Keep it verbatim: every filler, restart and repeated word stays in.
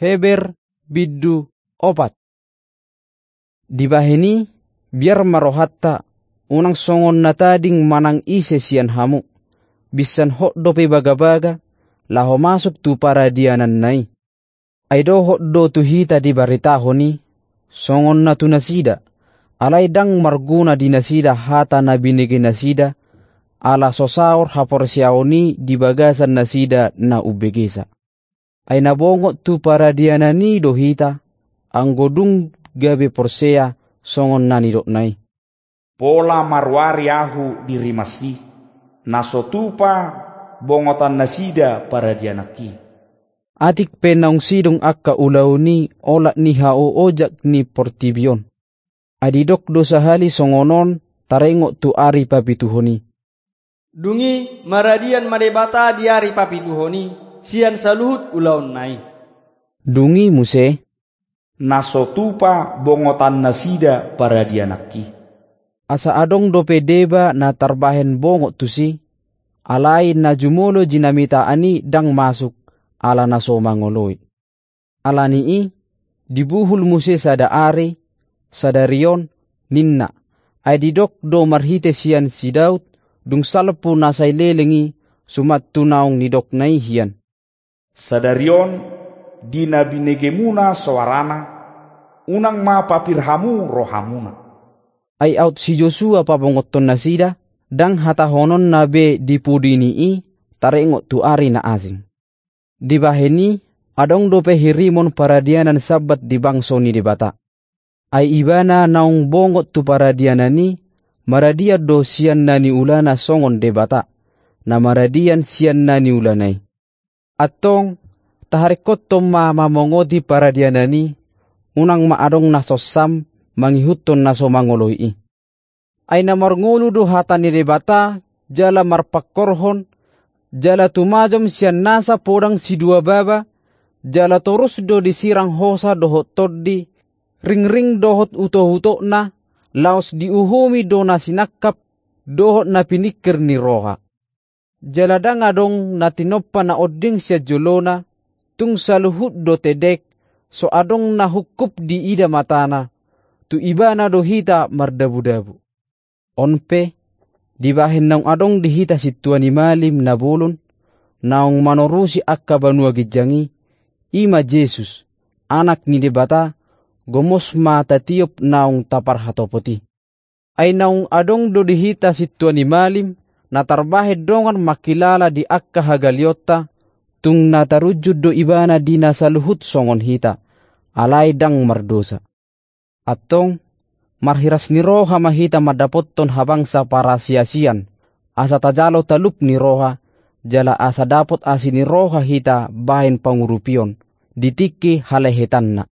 Heber bindu opat. Dibahen i, biar ma rohanta, unang songon na tading manang ise sian hamu, binsan hot dope bagabaga, laho masuk tu paradiananna i. Ai dohot do tu hita dibaritahon i, songon na tu nasida, alai ndang marguna di nasida hata na binege nasida, ala so saor haporseaon i di bagasan nasida na umbegesa. Ai na bongot tu paradianan i do hita, anggo dung gabe porsea songon na nidokna i. Pola maruari ahu di rimas i, na so tupa bongotan nasida paradiananki. Atik pe naung sidung angka ulaon i olat ni haoojak ni portibi on. Ai didok do sahali songon on taringot tu ari papituhon i. Dung i maradian ma Debata di ari papituhon i, sian saluhut ulaonna i. Dung i muse. Na so tupa bongotan nasida paradiananki. Asa adong dope deba na tarbahen bongot tusi, alai na jumolo jinamitaan i ndang masuk, ala na so mangoloi. Ala ni i, dibuhul muse sada ari, sadari on, ninna, ai didok do marhite sian si Daud, dung salpu na sai leleng i, suman tu naung nidokna i hian. Sadari on, di na binegemuna soarana, unang ma papir hamu rohamuna. Ai aut si Josua pabongothon nasida, ndang hatahononna be di pudi ni i, taringot tu ari na asing. Dibahen i, adong dope hirimon paradianan Sabbat di bangso ni Debata. Ai ibana naung bongot tu paradianan i, maradian do sian na niulana songon Debata, na maradian sian na niulana i. Antong, taharingkothon ma mamongoti paradianan i, unang ma adong na sonsam mangihuthon na so mangoloi i. Ai na marngolu do hata ni Debata, jala marpangkorhon, jala tumajom sian nasa podang sidua baba, jala torus do disirang hosa dohot tondi, ringring dohot utokutokna, laos diuhumi do na sinangkap, dohot na piningkir ni roha. Jala ndang adong na tinompa na onding sian jolona, tung saluhut do tedek, so adong na hungkup diida matana, tu ibana do hita mardabudabu. On pe, dibahen naung adong di hita sintua ni malim na bolon, naung manorusi angka banua ginjang i, i ma Jesus, Anak ni Debata, gomos ma tatiop naung taparhatopot i. Ai naung adong do di hita sintua ni malim, na tarbahen dongan mangkilala di angka hagalionta, tung na tarunjun do ibana di na saluhut songon hita, alai ndang mardosa. Antong, marhiras ni roha ma hita mandapothon habangsa parasiasian, asa tajalo talup ni roha, jala asa dapot asi ni roha hita bahen pangurupion, di tingki halehetanna.